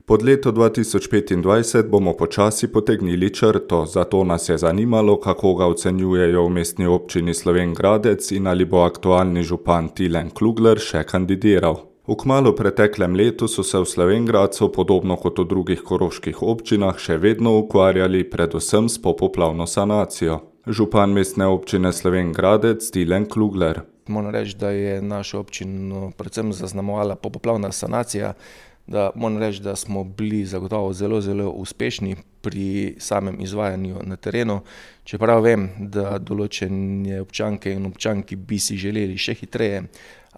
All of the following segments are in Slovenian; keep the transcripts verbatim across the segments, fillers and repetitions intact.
Pod leto dva tisoč petindvajset bomo počasi potegnili črto, zato nas je zanimalo, kako ga ocenjujejo v Mestni občini Slovenj Gradec in ali bo aktualni župan Tilen Klugler še kandidiral. V kmalu preteklem letu so se v Slovenj Gradcu, podobno kot v drugih koroških občinah, še vedno ukvarjali predvsem s popoplavno sanacijo. Župan Mestne občine Slovenj Gradec Tilen Klugler. Moram reči, da je našo občino predvsem zaznamovala popoplavna sanacija, da moram reči, da smo bili zagotovo zelo, zelo uspešni pri samem izvajanju na terenu. Čeprav vem, da določene občanke in občanki bi si želeli še hitreje,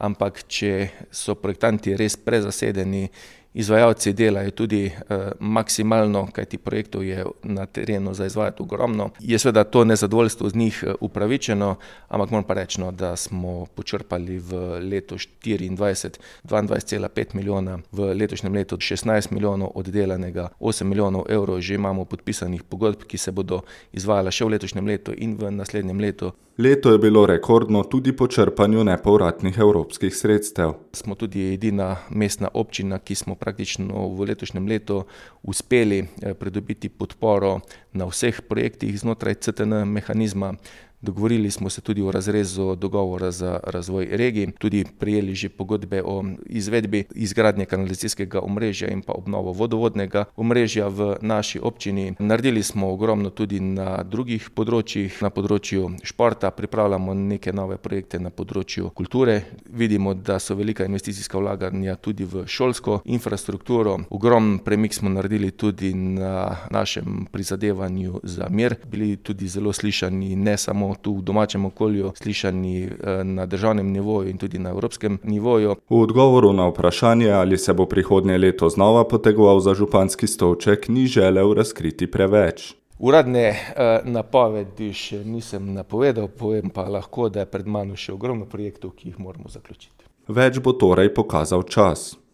ampak če so projektanti res prezasedeni, izvajalci delajo tudi eh, maksimalno, kajti projektov je na terenu za izvajati ogromno. Je seveda to nezadovoljstvo z njih upravičeno, ampak moram pa reči, no, da smo počrpali v letu štiriindvajset dvaindvajset cela pet milijona, v letošnjem letu šestnajst milijonov oddelanega, osem milijonov evrov že imamo podpisanih pogodb, ki se bodo izvajala še v letošnjem letu in v naslednjem letu. Leto je bilo rekordno tudi po črpanju nepovratnih evropskih sredstev. Smo tudi edina mestna občina, ki smo praktično v letošnjem letu uspeli pridobiti podporo na vseh projektih znotraj C T N mehanizma. Dogovorili smo se tudi o razrezu dogovora za razvoj regij, tudi prejeli že pogodbe o izvedbi izgradnje kanalizacijskega omrežja in pa obnovo vodovodnega omrežja v naši občini. Naredili smo ogromno tudi na drugih področjih, na področju športa, pripravljamo neke nove projekte na področju kulture. Vidimo, da so velika investicijska vlaganja tudi v šolsko infrastrukturo. Ogromen premik smo naredili tudi na našem prizadevanju za mir. Bili tudi zelo slišani ne samo tu v domačem okolju, slišani na državnem nivoju in tudi na evropskem nivoju. V odgovoru na vprašanje, ali se bo prihodnje leto znova potegoval za županski stolček, ni želel razkriti preveč. Uradne eh, napovedi še nisem napovedal, povem pa lahko, da je pred mano še ogromno projektov, ki jih moramo zaključiti. Več bo torej pokazal čas.